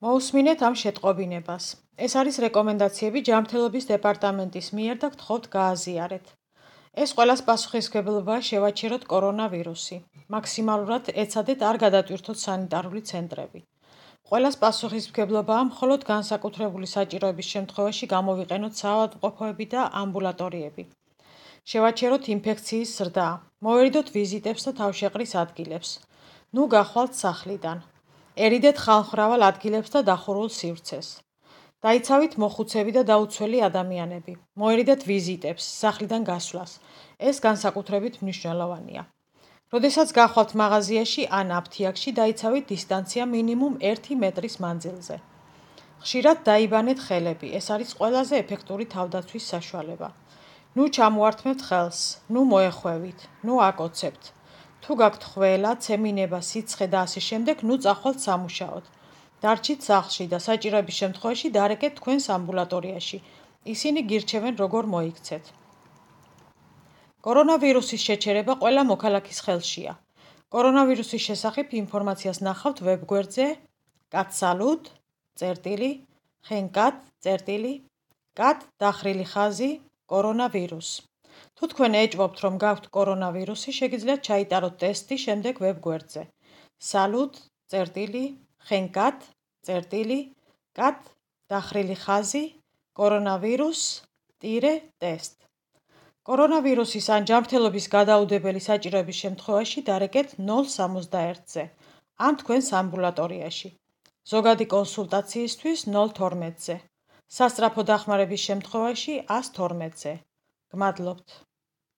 მოусმინეთ ამ შეტყობინებას. ეს არის რეკომენდაციები ჯანმრთელობის დეპარტამენტის მიერ და გთხოვთ გააზიარეთ. ეს ყველას პასუხისმგებლობაა შევაჩეროთ კორონავირუსი. მაქსიმალურად ეცადეთ არ გადატვირთოთ სანიტარული ცენტრები. ყველას პასუხისმგებლობაა მხოლოდ განსაკუთრებული საჭიროების შემთხვევაში გამოვიყენოთ საავადმყოფოები და ამბულატორიები. შევაჩეროთ ინფექციის ზრდა. მოვერიდოთ ვიზიტებს და თავშეყრის ადგილებს. ნუ გახვალთ სახლიდან. ერიდეთ ხალხმრავალ ადგილებს და დახურულ სივრცეს. დაიცავით მოხუცები და დაუცველი ადამიანები. მოერიდეთ ვიზიტებს, სახლიდან გასვლას. ეს განსაკუთრებით მნიშვნელოვანია. როდესაც გახვალთ მაღაზიაში ან აფთიაქში, დაიცავით დისტანცია მინიმუმ 1 მეტრის მანძილზე. ხშირად დაიბანეთ ხელები. ეს არის ყველაზე ეფექტური თავდაცვის საშუალება. ნუ ჩამოართმევთ ხელს, ნუ მოეხვევით, ნუ აკოცებთ. თუ გაქვთ ხველა, ცემინება, სიცხე და ასე შემდეგ, ნუ წახვალთ სამუშაოდ. დარჩით სახლში და საჭიროების შემთხვევაში დარეკეთ თქვენს ამბულატორიაში. ისინი გირჩევენ როგორ მოიქცეთ. კორონავირუსის შეჩერება ყველა მოქალაქის ხელშია. კორონავირუსის შესახებ ინფორმაციას ნახავთ ვებგვერდზე cat დახრილი ხაზი კორონავირუს. თუ თქვენ ეჭვობთ, რომ გაქვთ კორონავირუსი, შეგიძლიათ ჩაიტაროთ ტესტი შემდეგ ვებგვერდზე salut.cat დახრილი ხაზი კორონავირუს-test. კორონავირუსის ან ჯანმრთელობის გადაუდებელი საჭიროების შემთხვევაში დარეკეთ 061-ზე ან თქვენს ამბულატორიაში. ზოგადი კონსულტაციისთვის 012-ზე. სასწრაფო დახმარების შემთხვევაში 112-ზე. გმადლობთ.